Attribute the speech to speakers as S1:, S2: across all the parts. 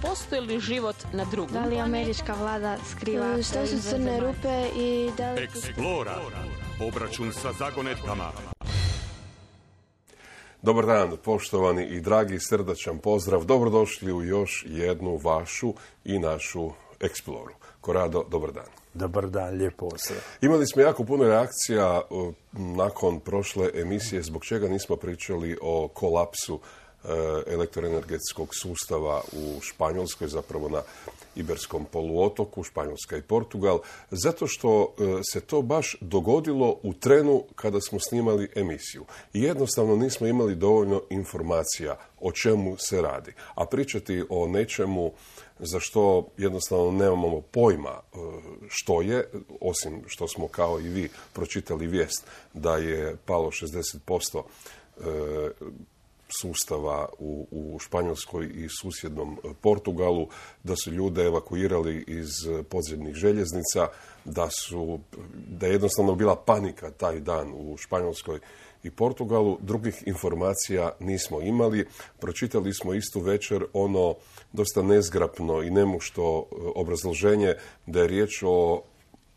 S1: postoji li život na drugom
S2: Da li američka vlada skriva
S3: šta su crne rupe i da li...
S4: Eksplora. Obračun sa zagonetkama.
S5: Dobar dan, poštovani i dragi, srdačan pozdrav. Dobrodošli u još jednu vašu i našu Eksploru. Korado, dobar dan.
S6: Dobar dan, lijep pozdrav.
S5: Imali smo jako puno reakcija nakon prošle emisije, zbog čega nismo pričali o kolapsu elektroenergetskog sustava u Španjolskoj, zapravo na Iberskom poluotoku, Španjolska i Portugal, zato što se to baš dogodilo u trenu kada smo snimali emisiju. I jednostavno nismo imali dovoljno informacija o čemu se radi. A pričati o nečemu za što jednostavno nemamo pojma što je, osim što smo kao i vi pročitali vijest da je palo 60% sustava u Španjolskoj i susjednom Portugalu, da su ljude evakuirali iz podzemnih željeznica, da je jednostavno bila panika taj dan u Španjolskoj i Portugalu. Drugih informacija nismo imali. Pročitali smo istu večer ono dosta nezgrapno i nemušto obrazloženje da je riječ o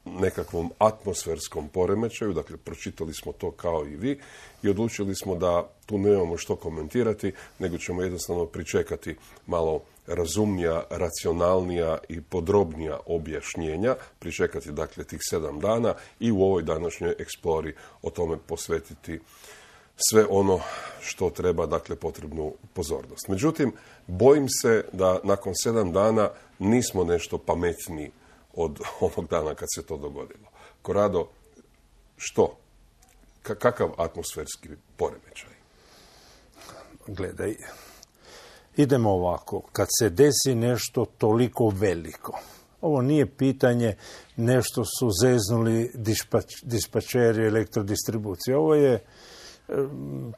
S5: nekakvom atmosferskom poremećaju, dakle pročitali smo to kao i vi i odlučili smo da tu nemamo što komentirati, nego ćemo jednostavno pričekati malo razumnija, racionalnija i podrobnija objašnjenja, pričekati dakle tih 7 dana i u ovoj današnjoj eksplori o tome posvetiti sve ono što treba, dakle potrebnu pozornost. Međutim, bojim se da nakon 7 dana nismo nešto pametniji od onog dana kad se to dogodilo. Korado, što? Kakav atmosferski poremećaj?
S6: Gledaj, idemo ovako. Kad se desi nešto toliko veliko, ovo nije pitanje nešto su zeznuli dispačeri elektrodistribucije. Ovo je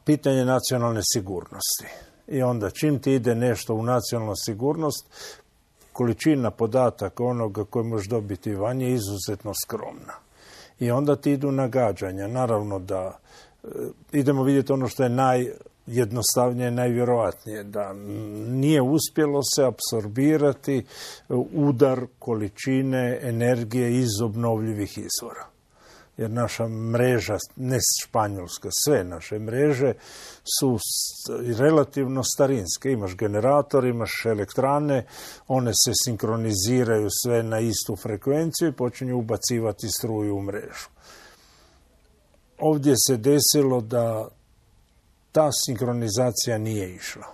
S6: pitanje nacionalne sigurnosti. I onda čim ti ide nešto u nacionalnu sigurnost, količina podataka onoga koje možeš dobiti van je izuzetno skromna. I onda ti idu nagađanja. Naravno da idemo vidjeti ono što je najjednostavnije, najvjerojatnije, da nije uspjelo se apsorbirati udar količine energije iz obnovljivih izvora. Jer naša mreža, ne Španjolska, sve naše mreže su relativno starinske. Imaš generator, imaš elektrane, one se sinkroniziraju sve na istu frekvenciju i počinju ubacivati struju u mrežu. Ovdje se desilo da ta sinkronizacija nije išla.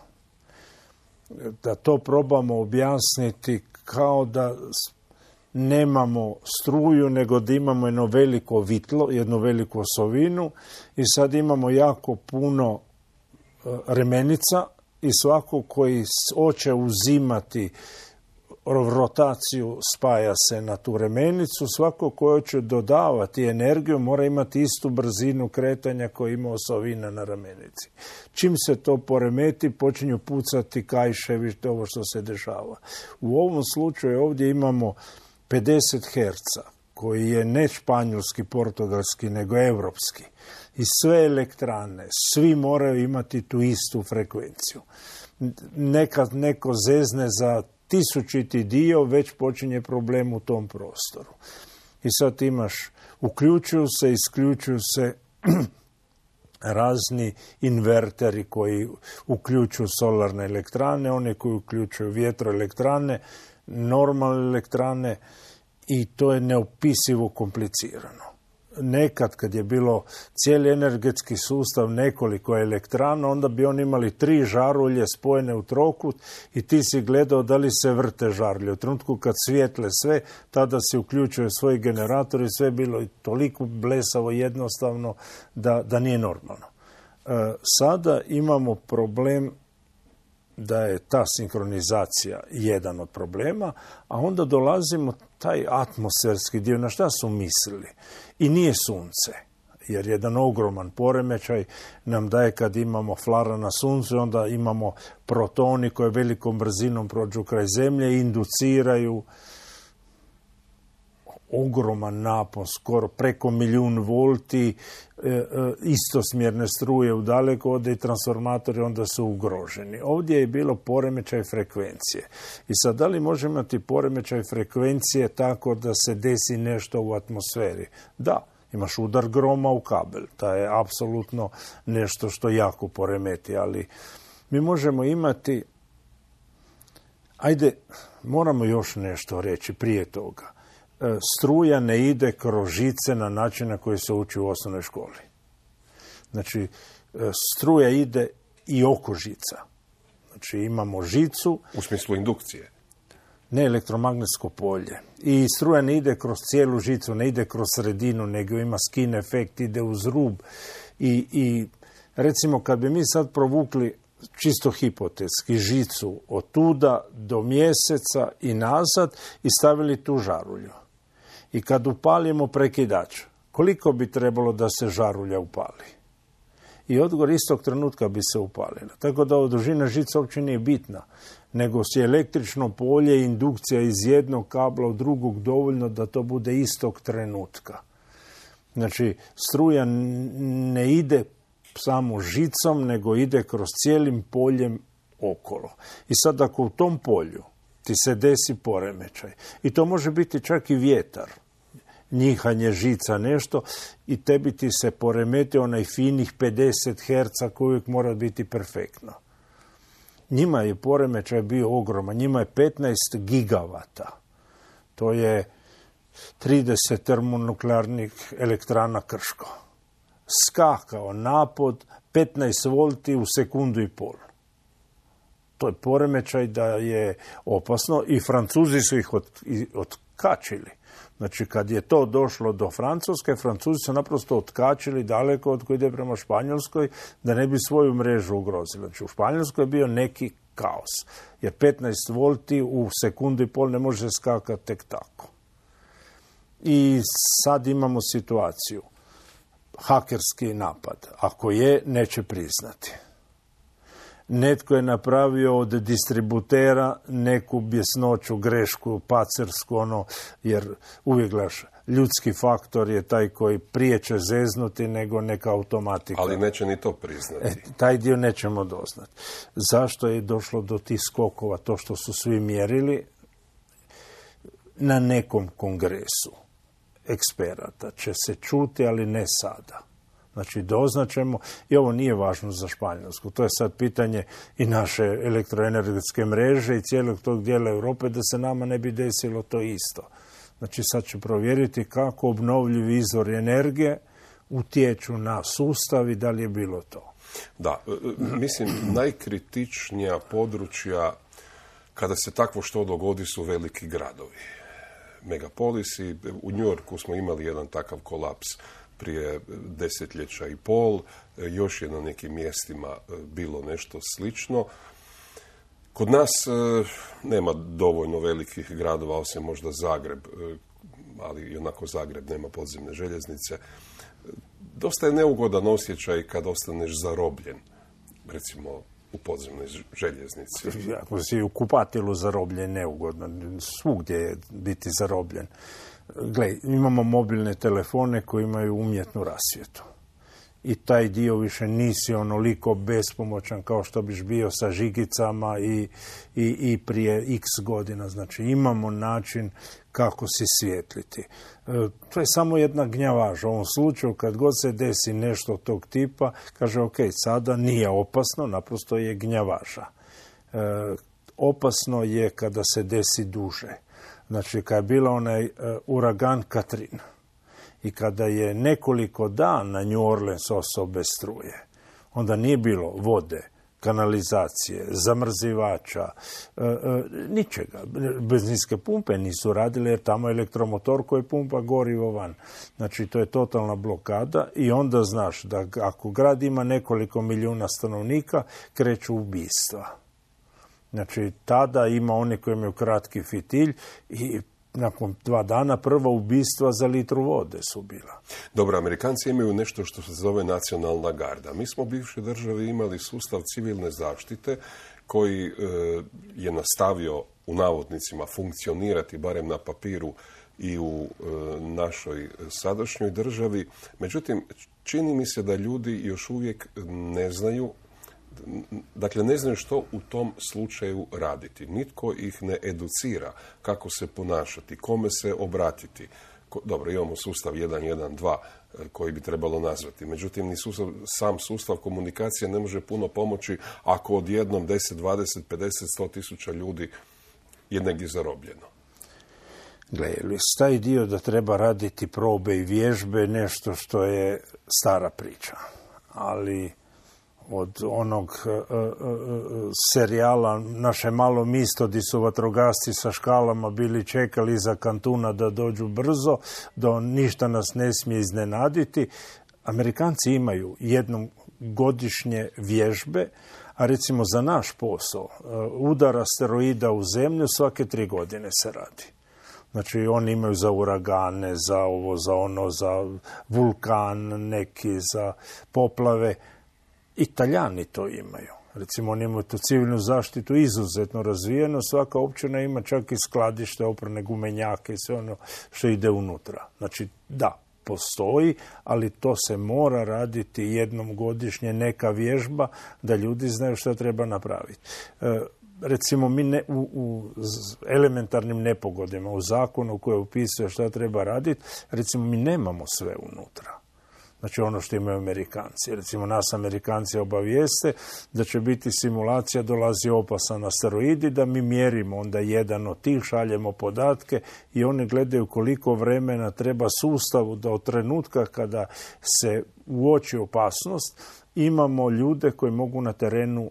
S6: Da to probamo objasniti kao da nemamo struju, nego da imamo jedno veliko vitlo, jednu veliku osovinu i sad imamo jako puno remenica i svako koji hoće uzimati rotaciju spaja se na tu remenicu, svako koji hoće dodavati energiju mora imati istu brzinu kretanja koju ima osovina na remenici. Čim se to poremeti, počinju pucati kajševi, ovo što se dešava. U ovom slučaju ovdje imamo 50 Hz, koji je ne španjolski, portugalski, nego evropski. I sve elektrane, svi moraju imati tu istu frekvenciju. Nekad neko zezne za 1000 dio, već počinje problem u tom prostoru. I sad imaš, uključuju se, isključuju se razni inverteri koji uključuju solarne elektrane, one koji uključuju vjetroelektrane, normalne elektrane i to je neopisivo komplicirano. Nekad kad je bilo cijeli energetski sustav nekoliko elektrana, onda bi oni imali 3 žarulje spojene u trokut i ti si gledao da li se vrte žarulje. U trenutku kad svijetle sve, tada se uključuje svoj generator i sve je bilo toliko blesavo jednostavno da nije normalno. Sada imamo problem da je ta sinkronizacija jedan od problema, a onda dolazimo taj atmosferski dio, na šta su mislili. I nije sunce, jer jedan ogroman poremećaj nam daje kad imamo flara na suncu, onda imamo protoni koji velikom brzinom prođu kraj zemlje i induciraju ogroman napon, skoro preko 1.000.000 volti, istosmjerne struje u dalekovode i transformatori, onda su ugroženi. Ovdje je bilo poremećaj frekvencije. I sad, da li može imati poremećaj frekvencije tako da se desi nešto u atmosferi? Da. Imaš udar groma u kabel. To je apsolutno nešto što jako poremeti, ali mi možemo imati... Ajde, moramo još nešto reći prije toga. Struja ne ide kroz žice na način na koji se uči u osnovnoj školi. Znači, struja ide i oko žica. Znači, imamo žicu...
S5: U smislu indukcije?
S6: Ne, elektromagnetsko polje. I struja ne ide kroz cijelu žicu, ne ide kroz sredinu, nego ima skin efekt, ide uz rub. I recimo, kad bi mi sad provukli čisto hipotetski žicu od tuda do Mjeseca i nazad i stavili tu žarulju. I kad upalimo prekidač, koliko bi trebalo da se žarulja upali? I odgovor istog trenutka bi se upalila. Tako da dužina žice uopće nije bitna, nego je električno polje i indukcija iz jednog kabla u drugog dovoljno da to bude istog trenutka. Znači, struja ne ide samo žicom, nego ide kroz cijelim poljem okolo. I sad ako u tom polju ti se desi poremećaj, i to može biti čak i vjetar, njihanje žica, nešto, i tebi ti se poremeti onaj finih 50 Hz koji uvijek mora biti perfektno. Njima je poremećaj bio ogroman, njima je 15 gigavata. To je 30 termonuklearnih elektrana Krško. Skakao napod 15 volti u sekundu i pol. To je poremećaj da je opasno i Francuzi su ih otkačili. Znači, kad je to došlo do Francuske, Francuzi su naprosto otkačili daleko od koji ide prema Španjolskoj da ne bi svoju mrežu ugrozili. Znači, u Španjolskoj je bio neki kaos. Jer 15 volti u sekundu i pol ne može skakati tek tako. I sad imamo situaciju. Hakerski napad. Ako je, neće priznati. Netko je napravio od distributera neku bjesnoću, grešku, pacersku, jer uvijek gledaš, ljudski faktor je taj koji prije će zeznuti nego neka automatika.
S5: Ali neće ni to priznati.
S6: Taj dio nećemo doznati. Zašto je došlo do tih skokova? To što su svi mjerili na nekom kongresu eksperata će se čuti, ali ne sada. Znači, doznačemo, i ovo nije važno za Španjolsku. To je sad pitanje i naše elektroenergetske mreže i cijelog tog dijela Europe, da se nama ne bi desilo to isto. Znači, sad će provjeriti kako obnovljivi izvori energije utječu na sustav i da li je bilo to.
S5: Da, mislim, najkritičnija područja kada se takvo što dogodi su veliki gradovi. Megapolisi. U New Yorku smo imali jedan takav kolaps prije 10 i pol, još je na nekim mjestima bilo nešto slično. Kod nas nema dovoljno velikih gradova, osim možda Zagreb, ali i onako Zagreb nema podzemne željeznice. Dosta je neugodan osjećaj kad ostaneš zarobljen, recimo u podzemnoj željeznici.
S6: Ako si u kupatilu zarobljen, neugodno. Svugdje je biti zarobljen. Gle, imamo mobilne telefone koji imaju umjetnu rasvjetu. I taj dio više nisi onoliko bespomoćan kao što biš bio sa žigicama i prije x godina. Znači, imamo način kako si svijetliti. To je samo jedna gnjavaža. U ovom slučaju, kad god se desi nešto tog tipa, kaže, ok, sada nije opasno, naprosto je gnjavaža. Opasno je kada se desi duže. Znači, kad je bila onaj uragan Katrina i kada je nekoliko dana New Orleans ostao bez struje, onda nije bilo vode, kanalizacije, zamrzivača, ničega. Benzinske pumpe nisu radile jer tamo je elektromotor koji pumpa gorivo van. Znači, to je totalna blokada i onda znaš da ako grad ima nekoliko milijuna stanovnika, kreću ubistva. Znači, tada ima oni koji imaju kratki fitilj i nakon 2 dana prva ubistva za litru vode su bila.
S5: Dobro, Amerikanci imaju nešto što se zove nacionalna garda. Mi smo u bivšoj državi imali sustav civilne zaštite koji je nastavio u navodnicima funkcionirati barem na papiru i u našoj sadašnjoj državi. Međutim, čini mi se da ljudi još uvijek ne znaju, dakle ne znaju što u tom slučaju raditi. Nitko ih ne educira kako se ponašati, kome se obratiti. Dobro, imamo sustav 112 koji bi trebalo nazvati. Međutim, ni sam sustav komunikacije ne može puno pomoći ako odjednom 10, 20, 50, 100 tisuća ljudi je negdje zarobljeno.
S6: Gle, taj dio da treba raditi probe i vježbe nešto što je stara priča. Ali od onog serijala Naše malo misto gdje su vatrogasci sa škalama bili čekali iza kantuna da dođu brzo, da ništa nas ne smije iznenaditi. Amerikanci imaju jednom godišnje vježbe, a recimo za naš posao udar asteroida u zemlju svake 3 godine se radi. Znači, oni imaju za uragane, za ovo, za ono, za vulkan neki, za poplave. Italijani to imaju. Recimo, oni imaju tu civilnu zaštitu izuzetno razvijeno. Svaka općina ima čak i skladište, oprane gumenjake i sve ono što ide unutra. Znači, da, postoji, ali to se mora raditi jednom godišnje, neka vježba, da ljudi znaju što treba napraviti. Recimo, mi u elementarnim nepogodima, u zakonu koji opisuje što treba raditi, recimo, mi nemamo sve unutra. Znači ono što imaju Amerikanci. Recimo nas Amerikanci obavijeste da će biti simulacija, dolazi opasan asteroidi, da mi mjerimo onda jedan od tih, šaljemo podatke i oni gledaju koliko vremena treba sustavu da od trenutka kada se uoči opasnost imamo ljude koji mogu na terenu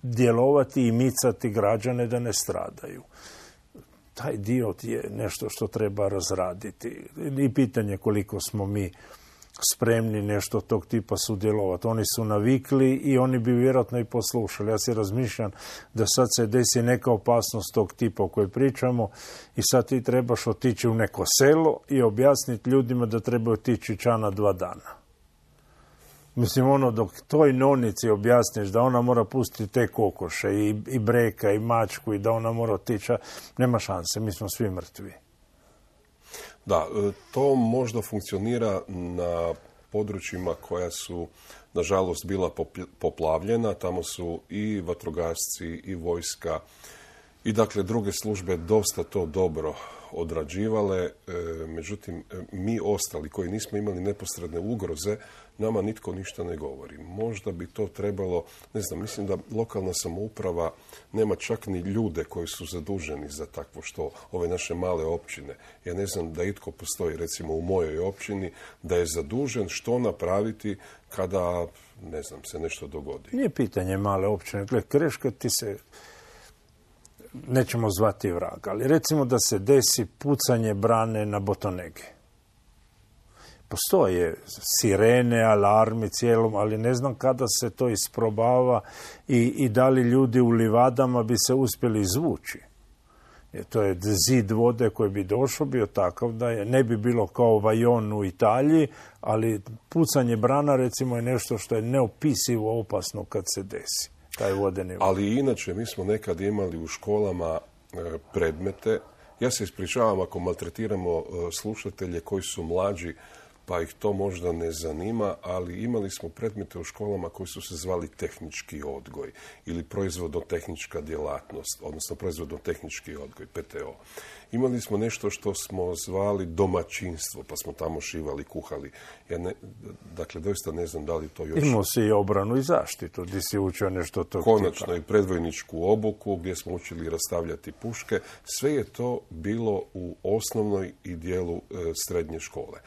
S6: djelovati i micati građane da ne stradaju. Taj dio je nešto što treba razraditi. I pitanje koliko smo mi spremni nešto tog tipa sudjelovati. Oni su navikli i oni bi vjerojatno i poslušali. Ja se razmišljam da sad se desi neka opasnost tog tipa o kojoj pričamo i sad ti trebaš otići u neko selo i objasniti ljudima da trebaju otići čana 2 dana. Mislim, ono, dok toj nonici objasniš da ona mora pustiti te kokoše i breka i mačku i da ona mora otići, nema šanse, mi smo svi mrtvi.
S5: Da, to možda funkcionira na područjima koja su, nažalost, bila poplavljena. Tamo su i vatrogasci i vojska i, dakle, druge službe dosta to dobro odrađivale. Međutim, mi ostali koji nismo imali neposredne ugroze, nama nitko ništa ne govori. Možda bi to trebalo, ne znam, mislim da lokalna samouprava nema čak ni ljude koji su zaduženi za takvo što, ove naše male općine. Ja ne znam da itko postoji, recimo u mojoj općini, da je zadužen što napraviti kada, ne znam, se nešto dogodi.
S6: Nije pitanje male općine. Gle, Kreška ti se, nećemo zvati vrag, ali recimo da se desi pucanje brane na Botonege. Postoje sirene, alarmi cijelom, ali ne znam kada se to isprobava i da li ljudi u livadama bi se uspjeli izvući. To je zid vode koji bi došao, bio takav da je, ne bi bilo kao Vajon u Italiji, ali pucanje brana recimo je nešto što je neopisivo opasno kad se desi. Taj vodeni vod.
S5: Ali inače mi smo nekad imali u školama predmete. Ja se ispričavam ako maltretiramo slušatelje koji su mlađi, pa ih to možda ne zanima, ali imali smo predmete u školama koji su se zvali tehnički odgoj ili proizvodno-tehnička djelatnost, odnosno proizvodno-tehnički odgoj, PTO. Imali smo nešto što smo zvali domaćinstvo, pa smo tamo šivali, kuhali. Dakle, doista ne znam da li to još...
S6: Imao si i obranu i zaštitu, gdje si učio nešto tog
S5: konačno
S6: tipa.
S5: I predvojničku obuku, gdje smo učili rastavljati puške. Sve je to bilo u osnovnoj i dijelu srednje škole.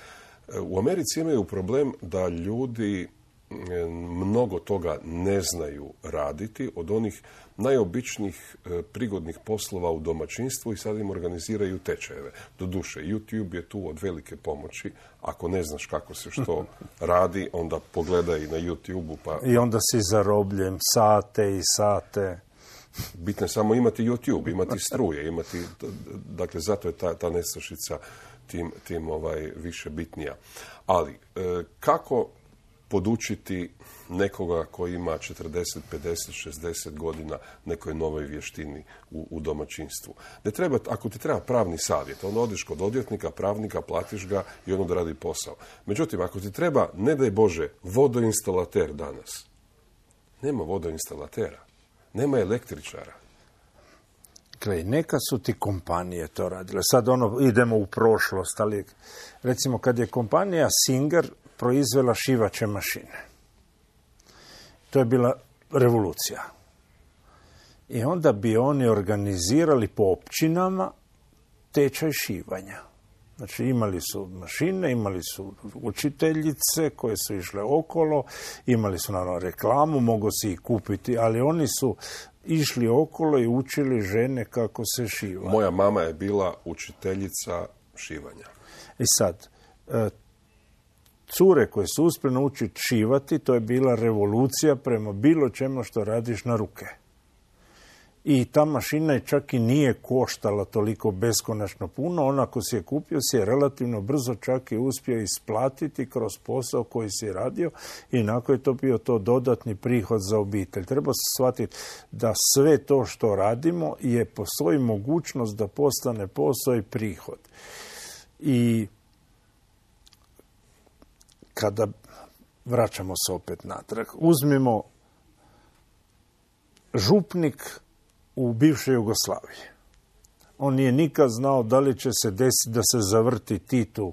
S5: U Americi imaju problem da ljudi mnogo toga ne znaju raditi, od onih najobičnijih prigodnih poslova u domaćinstvu i sad im organiziraju tečajeve. Doduše, YouTube je tu od velike pomoći. Ako ne znaš kako se što radi, onda pogledaj na YouTube-u. Pa...
S6: I onda si zarobljen sate i sate.
S5: Bitno je samo imati YouTube, imati struje, imati, dakle, zato je ta nestašica tim više bitnija. Ali, kako podučiti nekoga koji ima 40, 50, 60 godina nekoj novoj vještini u domaćinstvu. Ne treba, ako ti treba pravni savjet, onda odeš kod odvjetnika, pravnika, platiš ga i on odradi posao. Međutim, ako ti treba, ne daj Bože, vodoinstalater danas, nema vodoinstalatera, nema električara.
S6: Gle, neka su ti kompanije to radile. Sad idemo u prošlost, ali recimo kad je kompanija Singer proizvela šivaće mašine. To je bila revolucija. I onda bi oni organizirali po općinama tečaj šivanja. Znači imali su mašine, imali su učiteljice koje su išle okolo, imali su naravno reklamu, mogu si ih kupiti, ali oni su išli okolo i učili žene kako se šiva.
S5: Moja mama je bila učiteljica šivanja.
S6: I sad, cure koje su uspjeli naučiti šivati, to je bila revolucija prema bilo čemu što radiš na ruke. I ta mašina je čak i nije koštala toliko beskonačno puno. Ona ako si je kupio, si je relativno brzo čak i uspio isplatiti kroz posao koji si radio i nakon je to bio to dodatni prihod za obitelj. Treba se shvatiti da sve to što radimo postoji mogućnost da postane posao i prihod. I kada vraćamo se opet natrag, uzmimo župnik u bivšoj Jugoslaviji. On nije nikad znao da li će se desiti da se zavrti Titu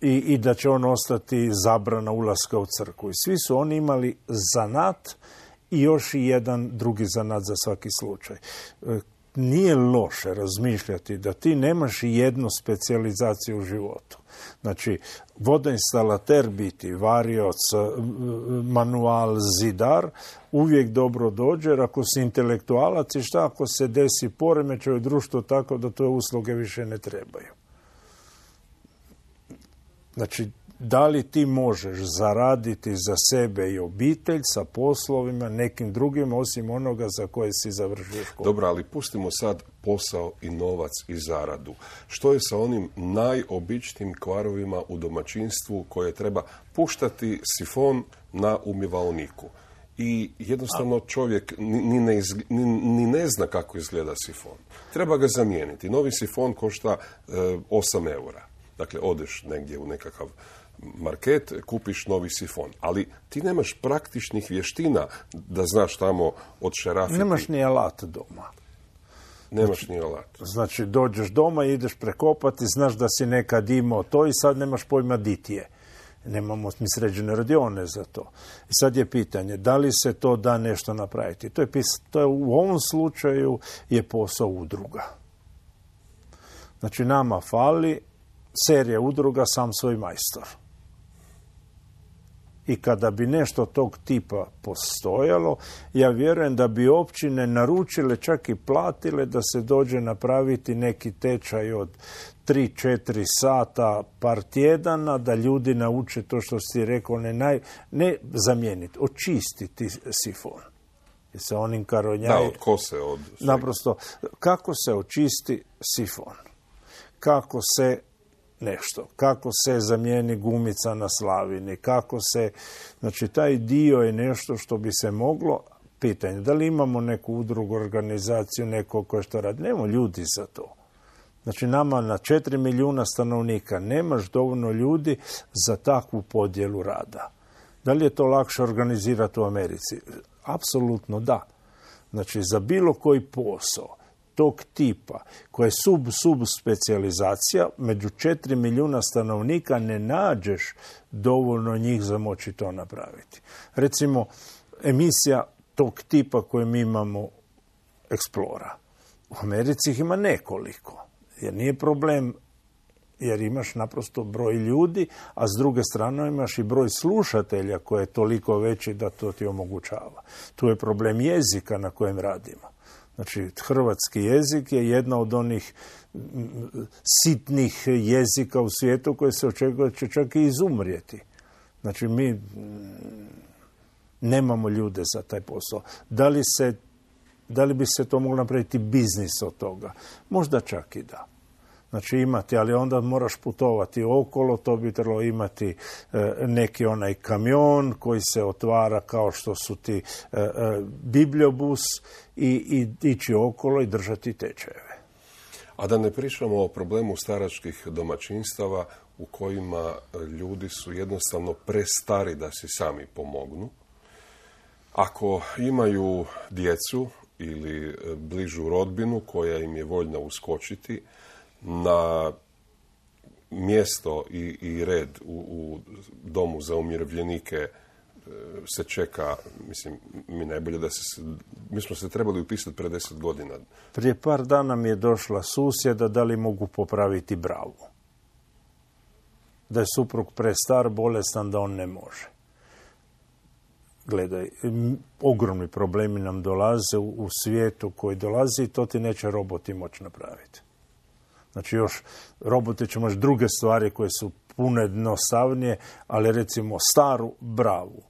S6: i da će on ostati zabrana ulaska u crkvu. I svi su oni imali zanat i još i jedan drugi zanat za svaki slučaj. Nije loše razmišljati da ti nemaš jednu specijalizaciju u životu. Znači, vodoinstalater biti, varioc, manual, zidar, uvijek dobro dođe, jer ako si intelektualac i šta ako se desi poremećaj u društvu tako da tvoje usluge više ne trebaju. Znači, da li ti možeš zaraditi za sebe i obitelj sa poslovima nekim drugim osim onoga za koje si završio školu?
S5: Dobro, ali pustimo sad posao i novac i zaradu. Što je sa onim najobičnijim kvarovima u domaćinstvu koje treba puštati sifon na umivalniku? I jednostavno čovjek ni ne zna kako izgleda sifon. Treba ga zamijeniti. Novi sifon košta 8 eura. Dakle, odeš negdje u nekakav market, kupiš novi sifon. Ali ti nemaš praktičnih vještina da znaš tamo odšerafiti.
S6: Nemaš ni alat doma.
S5: Nemaš ni alat.
S6: Znači, dođeš doma i ideš prekopati, znaš da si nekad imao to i sad nemaš pojma di ti je. Nemamo mi sređene radione za to. I sad je pitanje, da li se to da nešto napraviti? To je u ovom slučaju je posao udruga. Znači, nama fali serija udruga Sam svoj majstor. I kada bi nešto tog tipa postojalo, ja vjerujem da bi općine naručile, čak i platile da se dođe napraviti neki tečaj od 3-4 sata par tjedana, da ljudi nauče to što si rekao, ne zamijeniti, očistiti sifon. I sa onim karonjaj...
S5: Da, od kose, od...
S6: Naprosto, kako se očisti sifon? Kako se kako se zamijeni gumica na slavini, kako se... Znači, taj dio je nešto što bi se moglo... Pitanje, da li imamo neku udrugu, organizaciju, neko koje što radi? Nemamo ljudi za to. Znači, nama na 4 milijuna stanovnika nemaš dovoljno ljudi za takvu podjelu rada. Da li je to lakše organizirati u Americi? Apsolutno da. Znači, za bilo koji posao tog tipa, koja je subspecializacija, među 4 milijuna stanovnika ne nađeš dovoljno njih za moći to napraviti. Recimo, emisija tog tipa koje mi imamo Explora. U Americi ih ima nekoliko. Jer nije problem, jer imaš naprosto broj ljudi, a s druge strane imaš i broj slušatelja koji je toliko veći da to ti omogućava. Tu je problem jezika na kojem radimo. Znači, hrvatski jezik je jedna od onih sitnih jezika u svijetu koje se očekuje će čak i izumrijeti. Znači, mi nemamo ljude za taj posao. Da li bi se to moglo napraviti biznis od toga? Možda čak i da. Znači imati, ali onda moraš putovati okolo, to bi trebalo imati neki onaj kamion koji se otvara kao što su ti bibliobus i ići okolo i držati tečajeve.
S5: A da ne pričamo o problemu staračkih domaćinstava u kojima ljudi su jednostavno prestari da si sami pomognu. Ako imaju djecu ili bližu rodbinu koja im je voljna uskočiti, na mjesto i red u domu za umirovljenike se čeka, mislim, mi smo se trebali upisati pred 10 godina.
S6: Prije par dana mi je došla susjeda da li mogu popraviti bravu. Da je suprug prestar, bolestan, da on ne može. Gledaj, ogromni problemi nam dolaze u svijetu koji dolazi i to ti neće roboti moći napraviti. Znači još roboti će moći druge stvari koje su puno jednostavnije, ali recimo staru bravu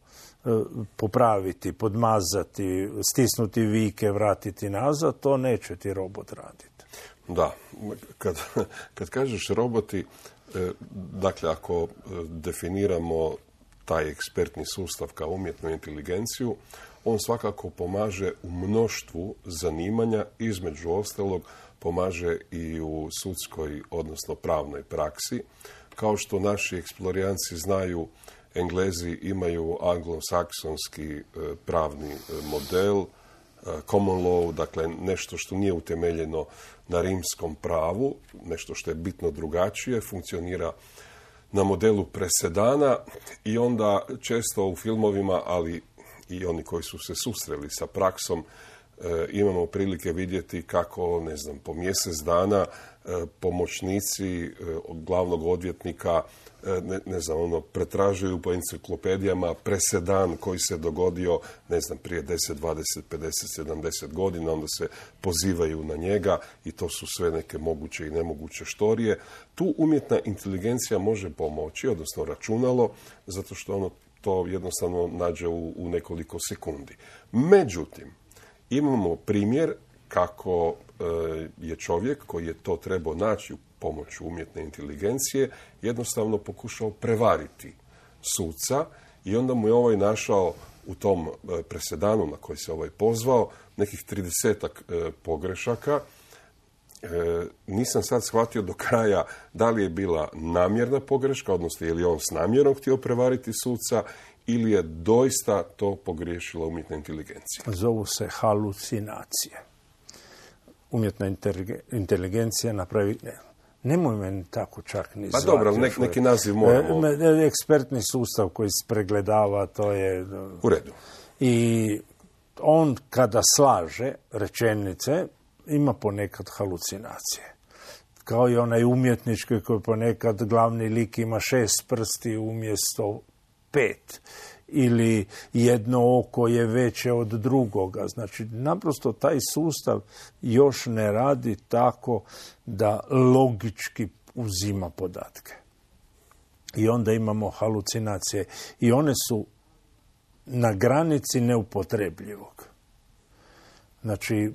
S6: popraviti, podmazati, stisnuti vike, vratiti nazad, to neće ti robot raditi.
S5: Da, kad kažeš roboti, dakle ako definiramo taj ekspertni sustav kao umjetnu inteligenciju, on svakako pomaže u mnoštvu zanimanja, između ostalog pomaže i u sudskoj, odnosno pravnoj praksi. Kao što naši eksplorijanci znaju, Englezi imaju anglosaksonski pravni model, common law, dakle nešto što nije utemeljeno na rimskom pravu, nešto što je bitno drugačije, funkcionira na modelu presedana i onda često u filmovima, ali i oni koji su se susreli sa praksom, imamo prilike vidjeti kako, ne znam, po mjesec dana pomoćnici glavnog odvjetnika pretražuju po enciklopedijama presedan koji se dogodio, ne znam, prije 10, 20, 50, 70 godina, onda se pozivaju na njega i to su sve neke moguće i nemoguće štorije. Tu umjetna inteligencija može pomoći, odnosno računalo, zato što ono to jednostavno nađe u nekoliko sekundi. Međutim, imamo primjer kako je čovjek koji je to trebao naći pomoću umjetne inteligencije jednostavno pokušao prevariti suca i onda mu je ovaj našao u tom presedanu na koji se ovaj pozvao nekih 30-ak pogrešaka. Nisam sad shvatio do kraja da li je bila namjerna pogreška, odnosno je li on s namjerom htio prevariti suca ili je doista to pogriješila umjetna inteligencija.
S6: Zovu se halucinacije. Umjetna inteligencija napravi... Nemoj meni tako čak ni zvati.
S5: Pa dobro, neki naziv moramo...
S6: Ekspertni sustav koji se pregledava, to je...
S5: U redu.
S6: I on kada slaže rečenice, ima ponekad halucinacije. Kao i onaj umjetnički koji ponekad glavni lik ima 6 prsti umjesto 5. Ili jedno oko je veće od drugoga. Znači, naprosto taj sustav još ne radi tako da logički uzima podatke. I onda imamo halucinacije. I one su na granici neupotrebljivog. Znači,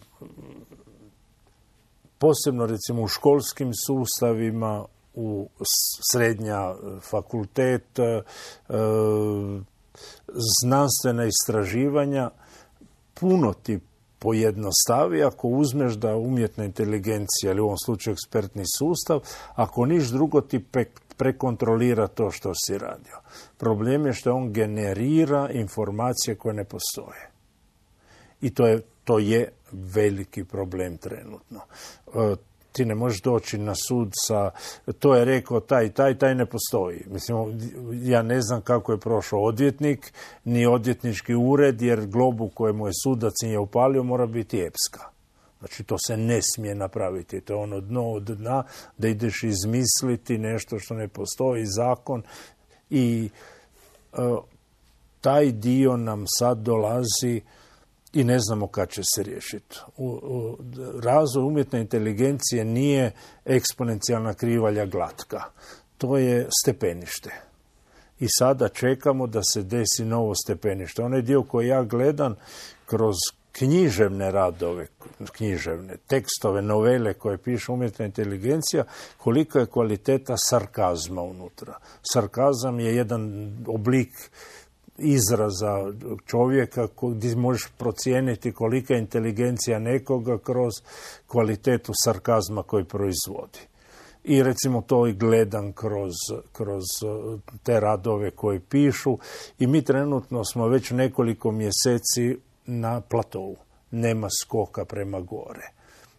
S6: posebno recimo u školskim sustavima, u srednja fakultet, znanstvena istraživanja, puno ti pojednostavi ako uzmeš da umjetna inteligencija, ili u ovom slučaju ekspertni sustav, ako niš drugo ti prekontrolira to što si radio. Problem je što on generira informacije koje ne postoje. I to je veliki problem trenutno. Ti ne možeš doći na sud sa, to je rekao taj ne postoji. Mislim, ja ne znam kako je prošao odvjetnik, ni odvjetnički ured, jer globu kojemu je sudac nije upalio mora biti epska. Znači, to se ne smije napraviti. To je ono dno od dna, da ideš izmisliti nešto što ne postoji, zakon. I taj dio nam sad dolazi i ne znamo kad će se riješiti. Razvoj umjetne inteligencije nije eksponencijalna krivalja glatka. To je stepenište. I sada čekamo da se desi novo stepenište. Onaj dio koji ja gledam kroz književne radove, tekstove, novele koje piše umjetna inteligencija, kolika je kvaliteta sarkazma unutra. Sarkazam je jedan oblik izraza čovjeka gdje možeš procijeniti kolika je inteligencija nekoga kroz kvalitetu sarkazma koji proizvodi. I recimo to i gledam kroz te radove koje pišu i mi trenutno smo već nekoliko mjeseci na platovu. Nema skoka prema gore.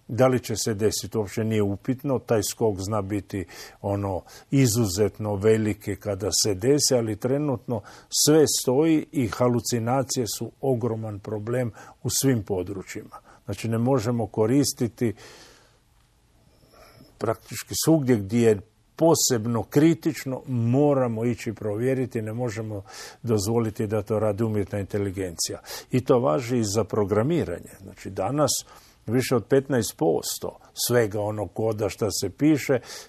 S6: Da li će se desiti, uopće nije upitno, taj skok zna biti izuzetno veliki kada se desi, ali trenutno sve stoji i halucinacije su ogroman problem u svim područjima. Znači ne možemo koristiti praktički svugdje gdje je posebno kritično, moramo ići provjeriti, ne možemo dozvoliti da to radi umjetna inteligencija. I to važi i za programiranje. Znači danas više od 15% svega onog koda što se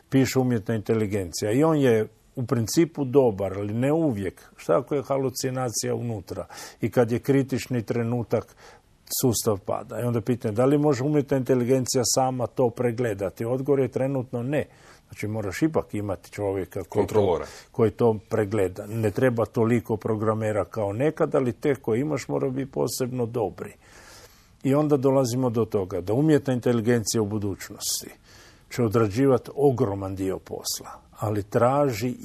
S6: piše umjetna inteligencija. I on je u principu dobar, ali ne uvijek. Šta ako je halucinacija unutra? I kad je kritični trenutak, sustav pada. I onda pitanje, da li može umjetna inteligencija sama to pregledati? Odgovor je trenutno ne. Znači moraš ipak imati čovjeka koji to pregleda. Ne treba toliko programera kao nekad, ali te koje imaš mora biti posebno dobri. I onda dolazimo do toga da umjetna inteligencija u budućnosti će odrađivati ogroman dio posla, ali traži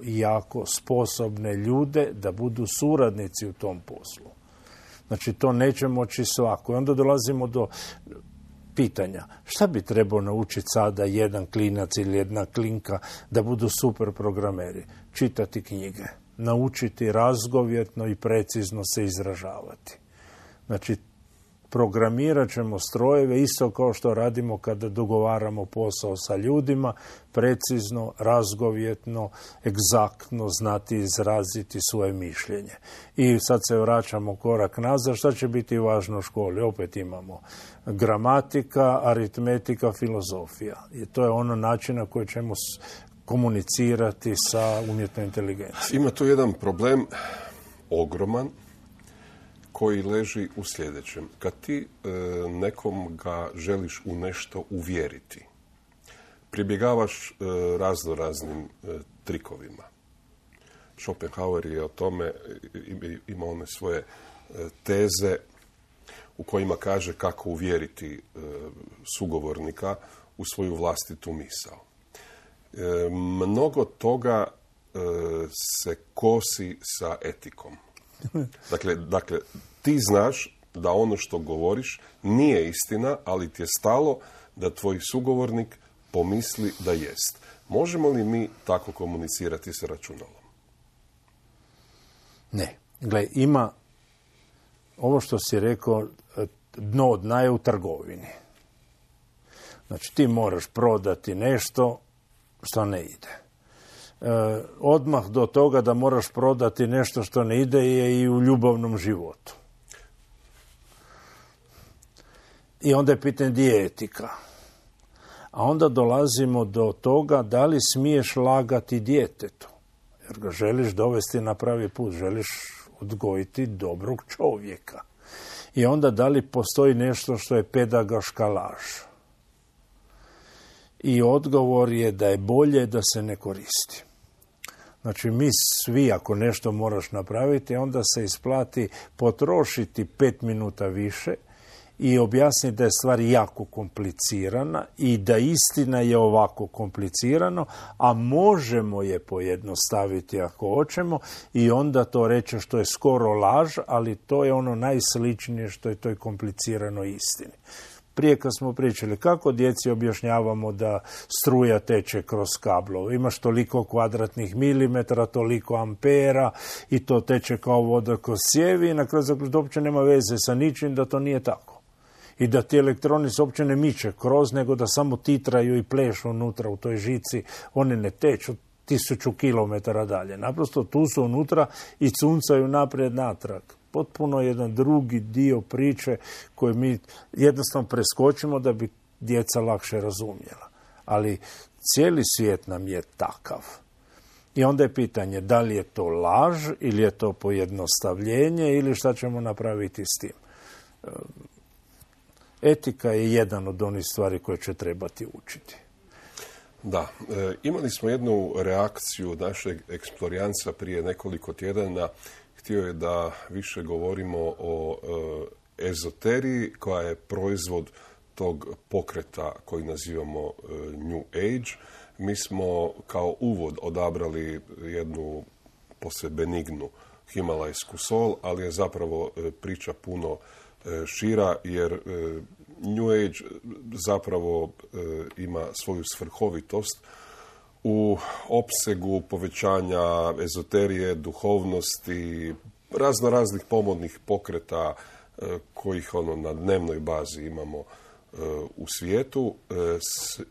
S6: jako sposobne ljude da budu suradnici u tom poslu. Znači to neće moći svako. I onda dolazimo do pitanja šta bi trebao naučiti sada jedan klinac ili jedna klinka da budu super programeri? Čitati knjige, naučiti razgovjetno i precizno se izražavati. Znači programirat ćemo strojeve isto kao što radimo kada dogovaramo posao sa ljudima, precizno, razgovjetno, egzaktno znati izraziti svoje mišljenje. I sad se vraćamo korak nazad, šta će biti važno u školi? Opet imamo gramatika, aritmetika, filozofija. I to je ono način na koji ćemo komunicirati sa umjetnom inteligencijom.
S5: Ima tu jedan problem ogroman koji leži u sljedećem. Kad ti nekom ga želiš u nešto uvjeriti, pribjegavaš raznoraznim trikovima. Schopenhauer je o tome ima one svoje teze u kojima kaže kako uvjeriti sugovornika u svoju vlastitu misao. Mnogo toga se kosi sa etikom. Dakle, ti znaš da ono što govoriš nije istina, ali ti je stalo da tvoj sugovornik pomisli da jest. Možemo li mi tako komunicirati sa računalom?
S6: Ne. Gle, ima ovo što si rekao, dno od dna je u trgovini. Znači, ti moraš prodati nešto što ne ide. Odmah do toga da moraš prodati nešto što ne ide je i u ljubavnom životu. I onda je pitanje gdje je etika. A onda dolazimo do toga da li smiješ lagati djetetu. Jer ga želiš dovesti na pravi put, želiš odgojiti dobrog čovjeka. I onda da li postoji nešto što je pedagoška laž. I odgovor je da je bolje da se ne koristi. Znači, mi svi, ako nešto moraš napraviti, onda se isplati potrošiti 5 minuta više i objasniti da je stvar jako komplicirana i da istina je ovako komplicirano, a možemo je pojednostaviti ako hoćemo i onda to reći što je skoro laž, ali to je ono najsličnije što je toj kompliciranoj istini. Prije kad smo pričali kako djeci objašnjavamo da struja teče kroz kablove. Imaš toliko kvadratnih milimetara, toliko ampera i to teče kao voda kroz cijevi i na kraju zaključiti uopće nema veze sa ničim da to nije tako. I da ti elektroni se uopće ne miče kroz, nego da samo titraju i plešu unutra u toj žici. One ne teču 1000 kilometara dalje. Naprosto tu su unutra i cuncaju naprijed natrag. Potpuno jedan drugi dio priče koji mi jednostavno preskočimo da bi djeca lakše razumjela. Ali cijeli svijet nam je takav. I onda je pitanje da li je to laž ili je to pojednostavljenje ili šta ćemo napraviti s tim. Etika je jedan od onih stvari koje će trebati učiti.
S5: Da, imali smo jednu reakciju našeg eksplorijanca prije nekoliko tjedana. Htio je da više govorimo o ezoteriji koja je proizvod tog pokreta koji nazivamo New Age. Mi smo kao uvod odabrali jednu posve benignu himalajsku sol, ali je zapravo priča puno šira, jer New Age zapravo ima svoju svrhovitost u opsegu povećanja ezoterije, duhovnosti, raznih pomodnih pokreta kojih na dnevnoj bazi imamo u svijetu.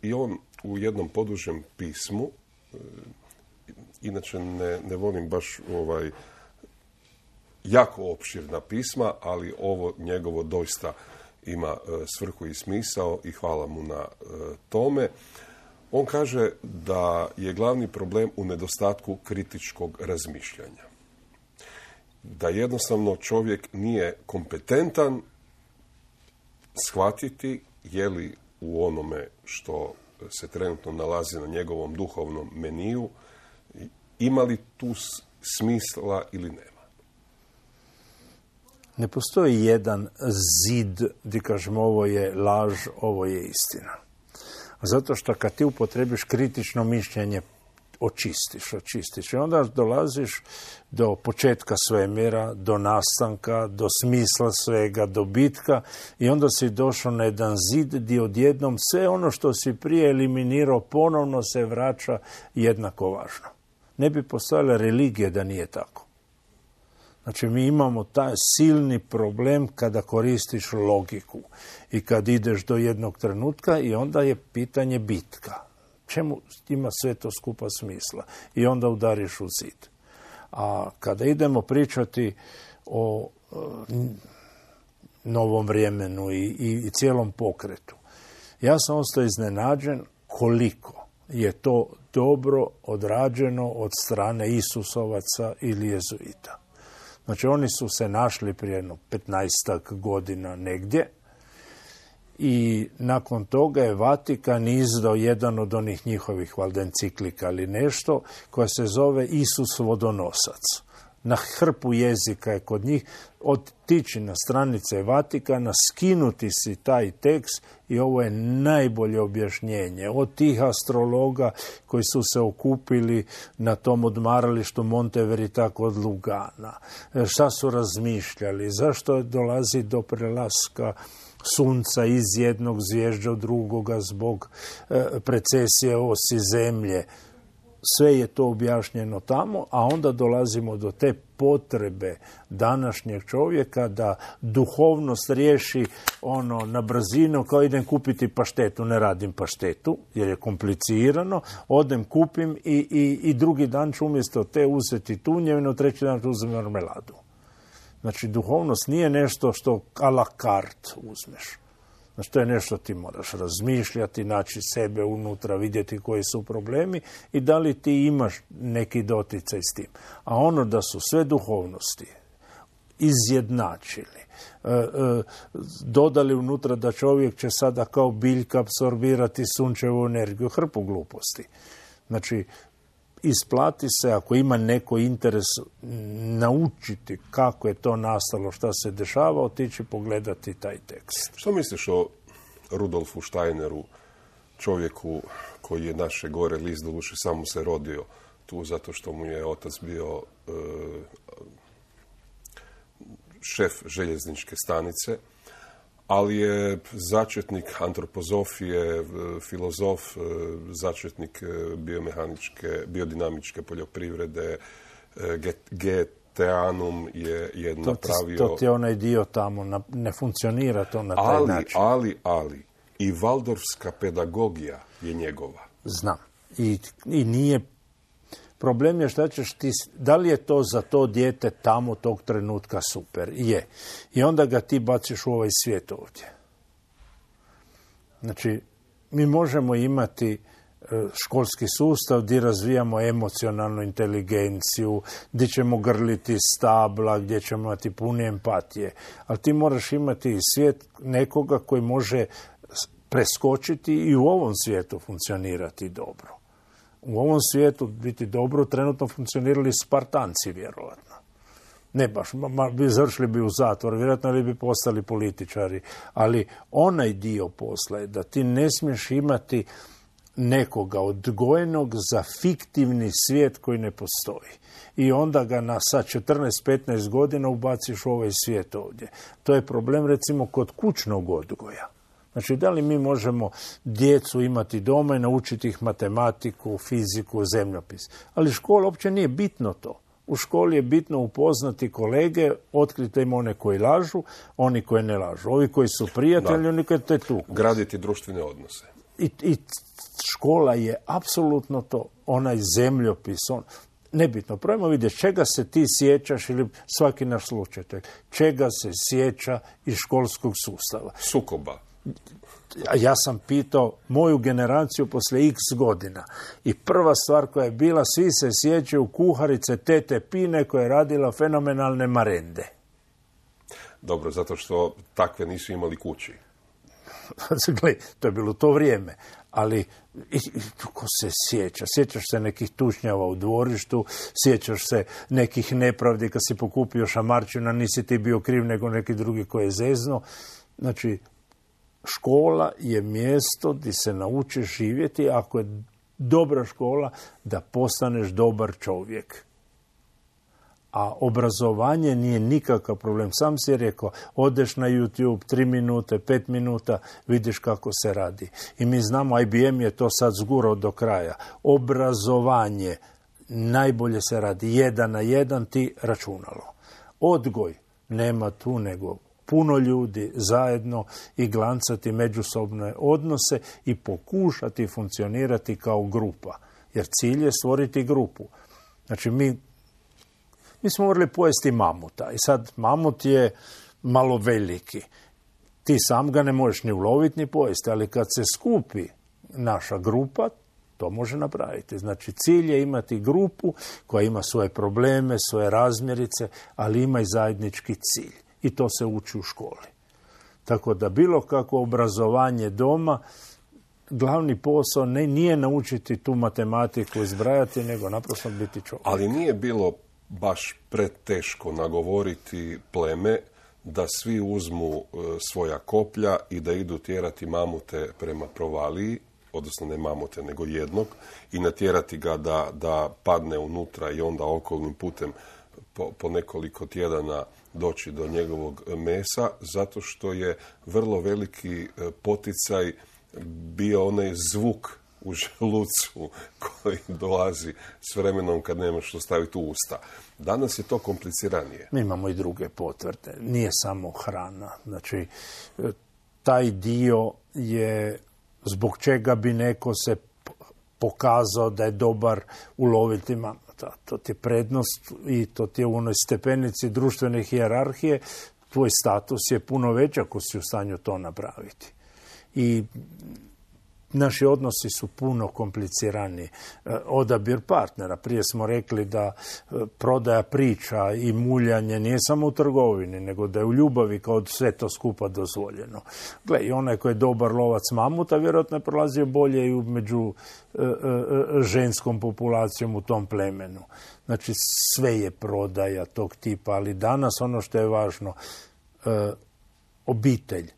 S5: I on u jednom podužem pismu, inače ne volim baš jako opširna pisma, ali ovo njegovo doista ima svrhu i smisao i hvala mu na tome. On kaže da je glavni problem u nedostatku kritičkog razmišljanja. Da jednostavno čovjek nije kompetentan shvatiti je li u onome što se trenutno nalazi na njegovom duhovnom meniju, ima li tu smisla ili nema.
S6: Ne postoji jedan zid gdje kažemo ovo je laž, ovo je istina. Zato što kad ti upotrebiš kritično mišljenje, očistiš. I onda dolaziš do početka svemira, do nastanka, do smisla svega, do bitka i onda si došao na jedan zid gdje odjednom sve ono što si prije eliminirao ponovno se vraća jednako važno. Ne bi postojala religija da nije tako. Znači, mi imamo taj silni problem kada koristiš logiku i kad ideš do jednog trenutka i onda je pitanje bitka. Čemu ima sve to skupa smisla? I onda udariš u zid. A kada idemo pričati o novom vremenu i cijelom pokretu, ja sam ostao iznenađen koliko je to dobro odrađeno od strane Isusovaca ili jezuita. Znači, oni su se našli prije 15 godina negdje i nakon toga je Vatikan izdao jedan od onih njihovih valjda enciklika ili nešto koja se zove Isus vodonosac. Na hrpu jezika je kod njih otići na stranice Vatikana, skinuti si taj tekst i ovo je najbolje objašnjenje. Od tih astrologa koji su se okupili na tom odmaralištu Monteverita kod Lugana. Šta su razmišljali? Zašto dolazi do prelaska sunca iz jednog zvježđa u drugoga zbog precesije osi zemlje? Sve je to objašnjeno tamo, a onda dolazimo do te potrebe današnjeg čovjeka da duhovnost riješi na brzinu, kao idem kupiti paštetu, ne radim paštetu jer je komplicirano, odem kupim i drugi dan ću umjesto te uzeti tunjevinu, treći dan ću uzem marmeladu. Znači, duhovnost nije nešto što a la carte uzmeš. Znači, to je nešto ti moraš razmišljati, naći sebe unutra, vidjeti koji su problemi i da li ti imaš neki doticaj s tim. A ono da su sve duhovnosti izjednačili, dodali unutra da čovjek će sada kao biljka apsorbirati sunčevu energiju, hrpu gluposti. Znači, isplati se, ako ima neko interes naučiti kako je to nastalo, šta se dešava, otići pogledati taj tekst.
S5: Što misliš o Rudolfu Steineru, čovjeku koji je naše gore list, doduše samo se rodio tu zato što mu je otac bio šef željezničke stanice, ali je začetnik antropozofije, filozof, začetnik biodinamičke poljoprivrede, Geteanum je napravio...
S6: To ti je onaj dio tamo, ne funkcionira to na taj način.
S5: Ali, i Valdorfska pedagogija je njegova.
S6: Znam. I nije... Problem je šta ćeš ti, da li je to za to dijete tamo tog trenutka super? Je. I onda ga ti baciš u ovaj svijet ovdje. Znači, mi možemo imati školski sustav gdje razvijamo emocionalnu inteligenciju, gdje ćemo grliti stabla, gdje ćemo imati puno empatije. Ali ti moraš imati svijet nekoga koji može preskočiti i u ovom svijetu funkcionirati dobro. U ovom svijetu biti dobro trenutno funkcionirali Spartanci, vjerojatno. Ne baš, završili bi u zatvor, vjerojatno li bi postali političari, ali onaj dio posla je da ti ne smiješ imati nekoga odgojenog za fiktivni svijet koji ne postoji. I onda ga sa 14-15 godina ubaciš u ovaj svijet ovdje. To je problem recimo kod kućnog odgoja. Znači, da li mi možemo djecu imati doma i naučiti ih matematiku, fiziku, zemljopis? Ali škola uopće nije bitno to. U školi je bitno upoznati kolege, otkriti im one koji lažu, oni koji ne lažu. Ovi koji su prijatelji, oni koji te tuku.
S5: Graditi društvene odnose.
S6: I škola je apsolutno to, onaj zemljopis, nebitno. Probajmo vidjeti čega se ti sjećaš ili svaki naš slučaj. Čega se sjeća iz školskog sustava.
S5: Sukoba.
S6: Ja sam pitao moju generaciju poslije x godina i prva stvar koja je bila, svi se sjećaju kuharice tete Pine koja je radila fenomenalne marende.
S5: Dobro, zato što takve nisu imali kući.
S6: Gle, to je bilo to vrijeme, ali ko se sjeća? Sjećaš se nekih tučnjava u dvorištu, sjećaš se nekih nepravdi kad si pokupio šamarčina, nisi ti bio kriv nego neki drugi koji je zezno. Znači, škola je mjesto gdje se naučiš živjeti, ako je dobra škola, da postaneš dobar čovjek. A obrazovanje nije nikakav problem. Sam si rekao, odeš na YouTube 3 minute, 5 minuta, vidiš kako se radi. I mi znamo, IBM je to sad zgurao do kraja. Obrazovanje najbolje se radi 1 na 1, ti računalo. Odgoj nema tu nego puno ljudi zajedno i glancati međusobne odnose i pokušati funkcionirati kao grupa. Jer cilj je stvoriti grupu. Znači, mi smo morali pojesti mamuta i sad mamut je malo veliki. Ti sam ga ne možeš ni uloviti ni pojesti, ali kad se skupi naša grupa, to može napraviti. Znači, cilj je imati grupu koja ima svoje probleme, svoje razmjerice, ali ima i zajednički cilj. I to se uči u školi. Tako da bilo kako obrazovanje doma, glavni posao nije naučiti tu matematiku izbrajati, nego naprosto biti čovjek.
S5: Ali nije bilo baš preteško nagovoriti pleme da svi uzmu svoja koplja i da idu tjerati mamute prema provaliji, odnosno ne mamute, nego jednog, i natjerati ga da padne unutra i onda okolnim putem po nekoliko tjedana doći do njegovog mesa, zato što je vrlo veliki poticaj bio onaj zvuk u želucu koji dolazi s vremenom kad nemaš što staviti u usta. Danas je to kompliciranije.
S6: Mi imamo i druge potvrde. Nije samo hrana. Znači, taj dio je zbog čega bi neko se pokazao da je dobar uloviti mamuta. To ti je prednost i to ti je u onoj stepenici društvene hijerarhije. Tvoj status je puno veći ako si u stanju to napraviti. I naši odnosi su puno kompliciraniji. Odabir partnera. Prije smo rekli da prodaja priča i muljanje nije samo u trgovini, nego da je u ljubavi kao sve to skupa dozvoljeno. Gle, i onaj koji je dobar lovac mamuta vjerojatno je prolazio bolje i među ženskom populacijom u tom plemenu. Znači, sve je prodaja tog tipa, ali danas ono što je važno, obitelj.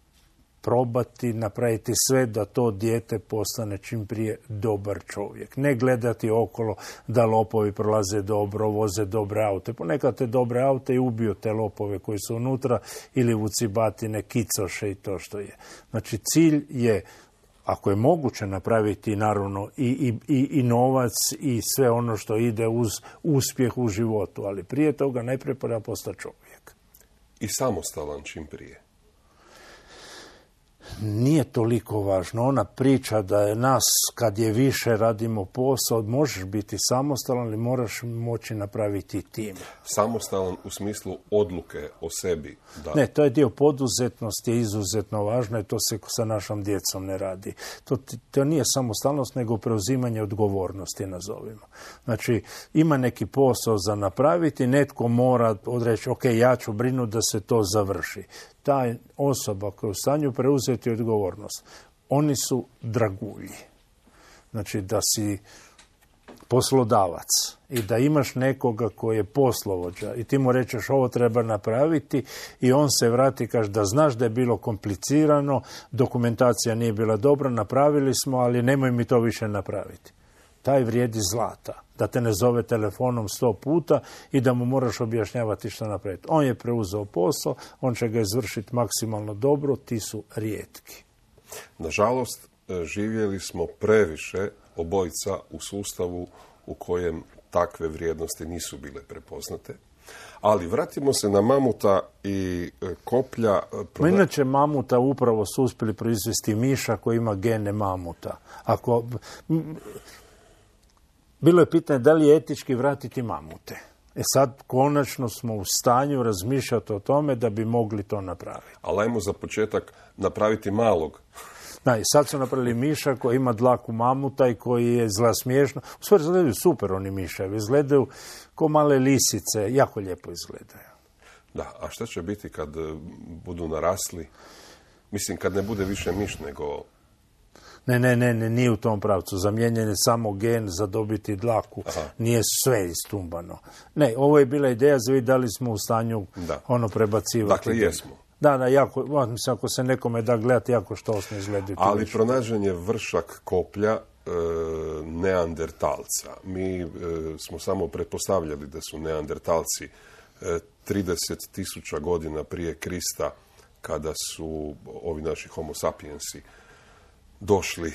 S6: Probati napraviti sve da to dijete postane čim prije dobar čovjek. Ne gledati okolo da lopovi prolaze dobro, voze dobre aute. Ponekad te dobre aute i ubiju te lopove koji su unutra ili vucibatine, kicoše i to što je. Znači, cilj je, ako je moguće napraviti naravno i novac i sve ono što ide uz uspjeh u životu, ali prije toga najprije treba postati čovjek.
S5: I samostalan čim prije.
S6: nije toliko važno. Ona priča da je nas, kad je više radimo posao, možeš biti samostalan, ali moraš moći napraviti tim.
S5: Samostalan u smislu odluke o sebi. Da.
S6: Ne, to je dio poduzetnosti, je izuzetno važno i to se sa našom djecom ne radi. To nije samostalnost, nego preuzimanje odgovornosti, nazovimo. Znači, ima neki posao za napraviti, netko mora odreći, ok, ja ću brinuti da se to završi. Ta osoba koja je u stanju preuzeti odgovornost, oni su dragulji. Znači, da si poslodavac i da imaš nekoga koji je poslovođa i ti mu rečeš ovo treba napraviti i on se vrati i kaže da znaš da je bilo komplicirano, dokumentacija nije bila dobra, napravili smo, ali nemoj mi to više napraviti. Taj vrijedi zlata. Da te ne zove telefonom 100 puta i da mu moraš objašnjavati što napraviti. On je preuzeo posao, on će ga izvršiti maksimalno dobro, ti su rijetki.
S5: Nažalost, živjeli smo previše obojica u sustavu u kojem takve vrijednosti nisu bile prepoznate. Ali vratimo se na mamuta i koplja.
S6: Inače, mamuta upravo su uspjeli proizvesti miša koji ima gene mamuta. Bilo je pitanje da li je etički vratiti mamute. Sad konačno smo u stanju razmišljati o tome da bi mogli to napraviti.
S5: Ali ajmo za početak napraviti malog.
S6: Da, i sad su napravili miša koji ima dlaku mamuta i koji je zla smiješno. U stvari izgledaju super oni miševi. Izgledaju ko male lisice. Jako lijepo izgledaju.
S5: Da, a šta će biti kad budu narasli? Mislim, kad ne bude više miš nego...
S6: Ne, nije u tom pravcu. Zamijenjen je samo gen za dobiti dlaku. Aha. Nije sve istumbano. Ne, ovo je bila ideja za vidjeti da li smo u stanju prebacivati.
S5: Dakle, jesmo.
S6: Da, jako, mislim, ako se nekome da gledati, jako štosno izgledaju.
S5: Ali pronađen je vršak koplja neandertalca. Mi smo samo pretpostavljali da su neandertalci 30.000 godina prije Krista, kada su ovi naši homo sapiensi došli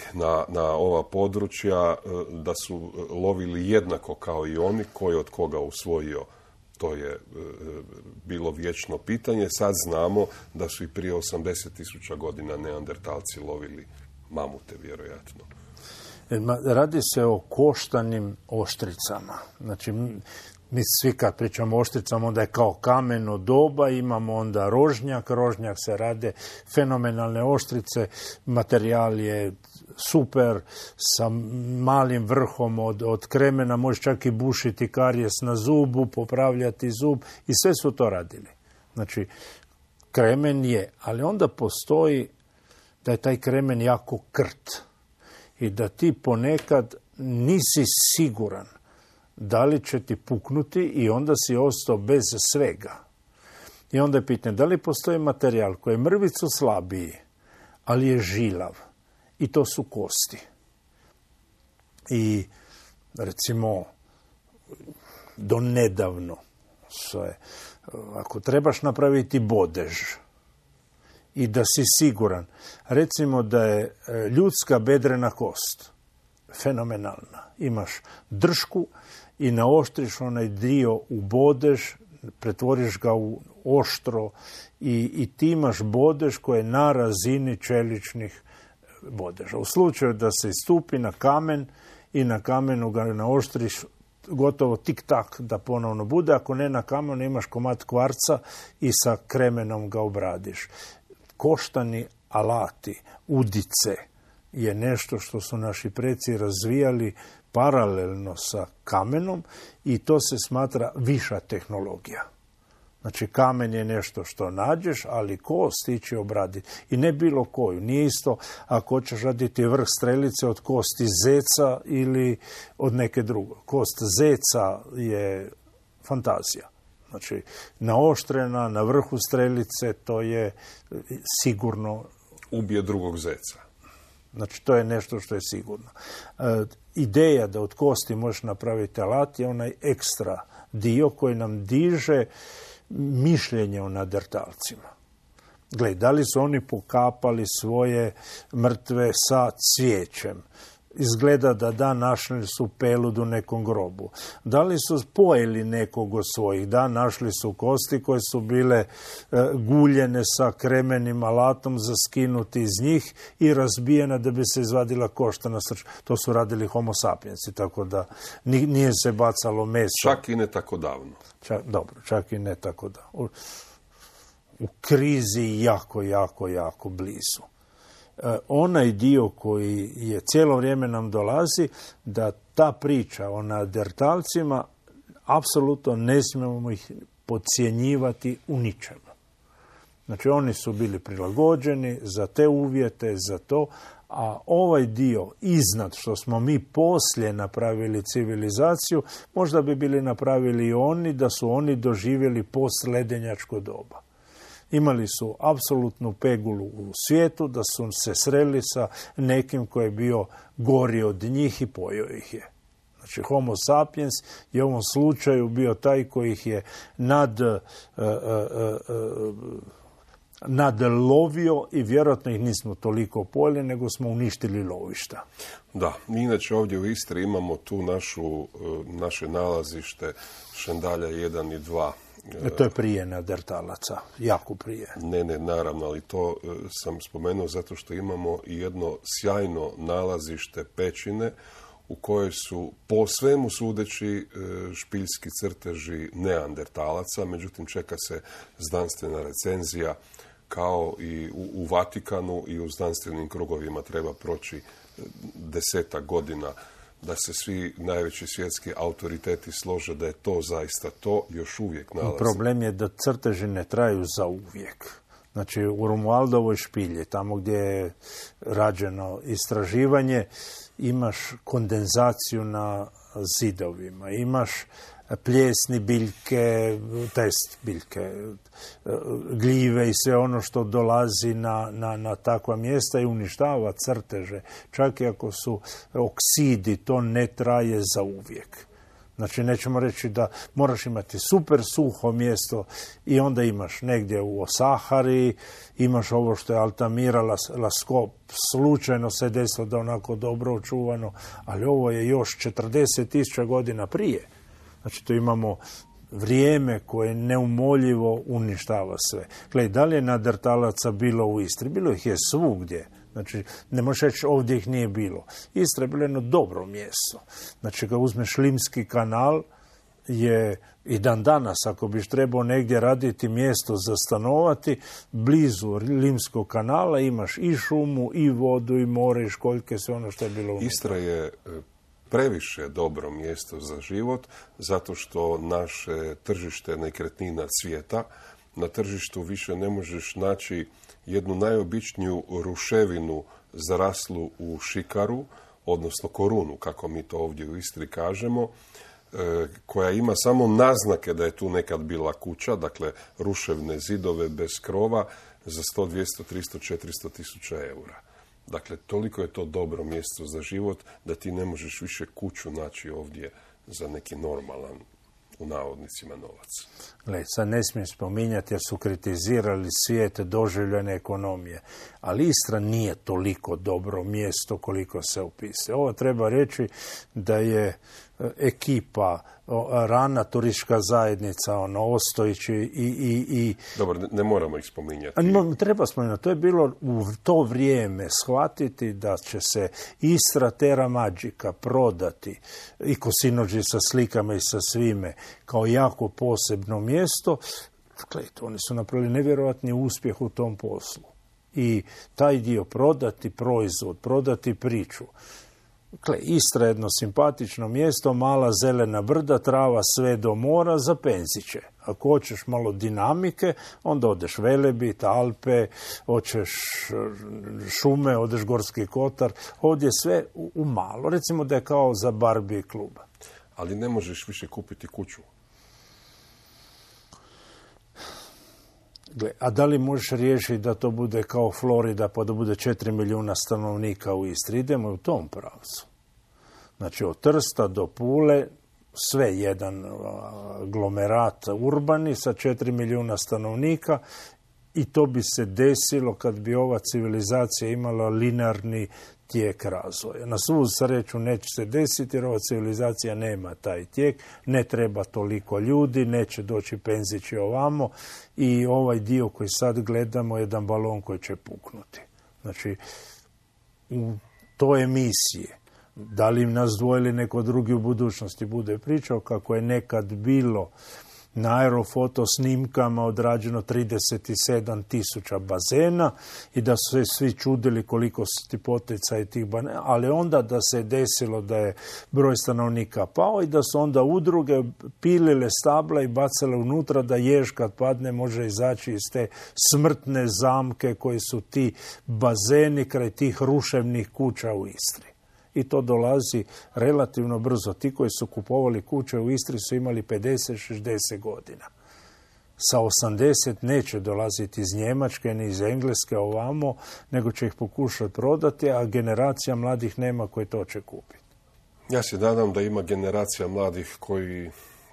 S5: na ova područja, da su lovili jednako kao i oni, koji od koga usvojio. To je bilo vječno pitanje. Sad znamo da su i prije 80.000 godina neandertalci lovili mamute, vjerojatno.
S6: Radi se o koštanim oštricama. Znači, mi svi kad pričamo o oštricama, onda je kao kameno doba, imamo onda rožnjak se rade fenomenalne oštrice, materijal je super, sa malim vrhom od kremena, može čak i bušiti karijes na zubu, popravljati zub i sve su to radili. Znači, kremen je, ali onda postoji da je taj kremen jako krt i da ti ponekad nisi siguran da li će ti puknuti i onda si ostao bez svega. I onda je pitanje, da li postoji materijal koji je mrvicu slabiji, ali je žilav. I to su kosti. I recimo, do nedavno, ako trebaš napraviti bodež i da si siguran, recimo da je ljudska bedrena kost fenomenalna. Imaš dršku i naoštriš onaj dio u bodež, pretvoriš ga u oštro i ti imaš bodež koji je na razini čeličnih bodeža. U slučaju da se istupi na kamen i na kamenu ga naoštriš gotovo tik-tak da ponovno bude, ako ne na kamenu imaš komad kvarca i sa kremenom ga obradiš. Koštani alati, udice, je nešto što su naši preci razvijali paralelno sa kamenom i to se smatra viša tehnologija. Znači, kamen je nešto što nađeš, ali kost ti će obraditi. I ne bilo koju. Nije isto ako hoćeš raditi vrh strelice od kosti zeca ili od neke druge. Kost zeca je fantazija. Znači, naoštrena na vrhu strelice, to je sigurno...
S5: Ubije drugog zeca.
S6: Znači, to je nešto što je sigurno. Ideja da od kosti možeš napraviti alat je onaj ekstra dio koji nam diže mišljenje o neandertalcima. Gle, da li su oni pokapali svoje mrtve sa cvijećem? izgleda da našli su pelud u nekom grobu. Da li su pojeli nekog od svojih? Da, našli su kosti koje su bile guljene sa kremenim alatom za skinuti iz njih i razbijena da bi se izvadila koštana srž. To su radili homo sapiensi, tako da nije se bacalo meso.
S5: Čak i ne tako davno.
S6: Čak i ne tako davno. U krizi jako blizu. Onaj dio koji je cijelo vrijeme nam dolazi, da ta priča o neandertalcima apsolutno ne smijemo ih podcjenjivati u ničemu. Znači oni su bili prilagođeni za te uvjete, za to, a ovaj dio iznad što smo mi poslije napravili civilizaciju, možda bi bili napravili i oni da su oni doživjeli postledenjačko doba. Imali su apsolutnu pegulu u svijetu, da su se sreli sa nekim koji je bio gori od njih i pojeo ih je. Znači, homo sapiens je u ovom slučaju bio taj koji ih je nadlovio i vjerojatno ih nismo toliko pojeli, nego smo uništili lovišta.
S5: Da, mi inače ovdje u Istri imamo tu naše nalazište Šandalja 1 i 2.
S6: To je prije neandertalaca, jako prije.
S5: Ne, naravno, ali to sam spomenuo zato što imamo i jedno sjajno nalazište pećine u kojoj su po svemu sudeći špiljski crteži neandertalaca, međutim čeka se znanstvena recenzija kao i u Vatikanu i u znanstvenim krugovima treba proći 10 godina da se svi najveći svjetski autoriteti slože da je to zaista to, još uvijek nalazi.
S6: Problem je da crteži ne traju za uvijek. Znači, u Romualdovoj špilji, tamo gdje je rađeno istraživanje, imaš kondenzaciju na zidovima, imaš pljesni biljke, biljke, gljive i sve ono što dolazi na takva mjesta i uništava crteže. Čak i ako su oksidi, to ne traje za uvijek. Znači, nećemo reći da moraš imati super suho mjesto i onda imaš negdje u Sahari, imaš ovo što je Altamira Laskop, slučajno se desilo da onako dobro očuvano, ali ovo je još 40.000 godina prije. Znači, tu imamo vrijeme koje neumoljivo uništava sve. Gledaj, da li je neandertalaca bilo u Istri? Bilo ih je svugdje. Znači, ne možeš reći ovdje ih nije bilo. Istra je bilo jedno dobro mjesto. Znači, kad uzmeš Limski kanal, je i dan danas, ako biš trebao negdje raditi mjesto za stanovati, blizu Limskog kanala imaš i šumu, i vodu, i more, i školjke, sve ono što je bilo unutra.
S5: Istra je previše dobro mjesto za život, zato što naše tržište nekretnina cvijeta. Na tržištu više ne možeš naći jednu najobičniju ruševinu zaraslu u šikaru, odnosno korunu, kako mi to ovdje u Istri kažemo, koja ima samo naznake da je tu nekad bila kuća, dakle ruševne zidove bez krova za 100, 200, 300, 400 tisuća eura. Dakle, toliko je to dobro mjesto za život da ti ne možeš više kuću naći ovdje za neki normalan, u navodnicima, novac.
S6: Gle, sad ne smijem spominjati jer su kritizirali svijet doživljene ekonomije, ali Istra nije toliko dobro mjesto koliko se opisuje. Ovo treba reći da je ekipa, rana turistička zajednica, Ostojić i...
S5: Dobro, ne moramo ih spominjati.
S6: Treba spominjati. To je bilo u to vrijeme shvatiti da će se Istra Terra Magica prodati i Kosinođi sa slikama i sa svime kao jako posebno mjesto. Gledajte, oni su napravili nevjerojatni uspjeh u tom poslu. I taj dio prodati proizvod, prodati priču. Dakle, Istra je jedno simpatično mjesto, mala zelena brda, trava sve do mora, za penziće. Ako hoćeš malo dinamike, onda odeš Velebit, Alpe, hoćeš šume, odeš Gorski kotar. Ovdje sve u malo. Recimo da je kao za Barbie klub.
S5: Ali ne možeš više kupiti kuću.
S6: Gle, a da li možeš riješiti da to bude kao Florida, pa da bude 4 milijuna stanovnika u Istri? Idemo u tom pravcu. Znači, od Trsta do Pule, sve jedan aglomerat urbani sa 4 milijuna stanovnika, i to bi se desilo kad bi ova civilizacija imala linearni tijek razvoja. Na svu sreću neće se desiti jer ova civilizacija nema taj tijek, ne treba toliko ljudi, neće doći penzići ovamo i ovaj dio koji sad gledamo je jedan balon koji će puknuti. Znači, u toj emisije, da li nas dvojili neko drugi u budućnosti bude pričao kako je nekad bilo na aerofoto snimkama odrađeno 37.000 bazena i da su se svi čudili koliko su ti poticaji tih bazena, ali onda da se desilo da je broj stanovnika pao i da su onda udruge pilile stabla i bacale unutra da jež kad padne može izaći iz te smrtne zamke koji su ti bazeni kraj tih ruševnih kuća u Istri. I to dolazi relativno brzo. Ti koji su kupovali kuće u Istri su imali 50-60 godina. Sa 80 neće dolaziti iz Njemačke ni iz Engleske ovamo, nego će ih pokušati prodati, a generacija mladih nema koji to će kupiti.
S5: Ja se nadam da ima generacija mladih koji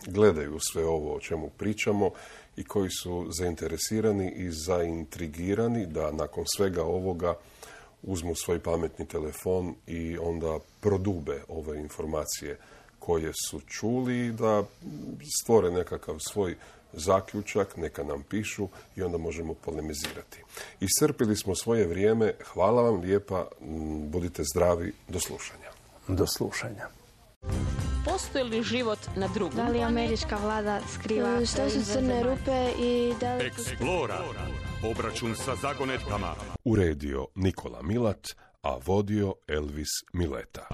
S5: gledaju sve ovo o čemu pričamo i koji su zainteresirani i zaintrigirani da nakon svega ovoga uzmu svoj pametni telefon i onda prodube ove informacije koje su čuli, da stvore nekakav svoj zaključak, neka nam pišu i onda možemo polemizirati. Iscrpili smo svoje vrijeme. Hvala vam lijepa. Budite zdravi. Do slušanja.
S6: Do slušanja.
S1: Postoji li život na drugom?
S2: Da li američka vlada skriva što su crne rupe i da li...
S4: Explora. Obračun sa zagonetkama.
S5: Uredio Nikola Milat, a vodio Elvis Mileta.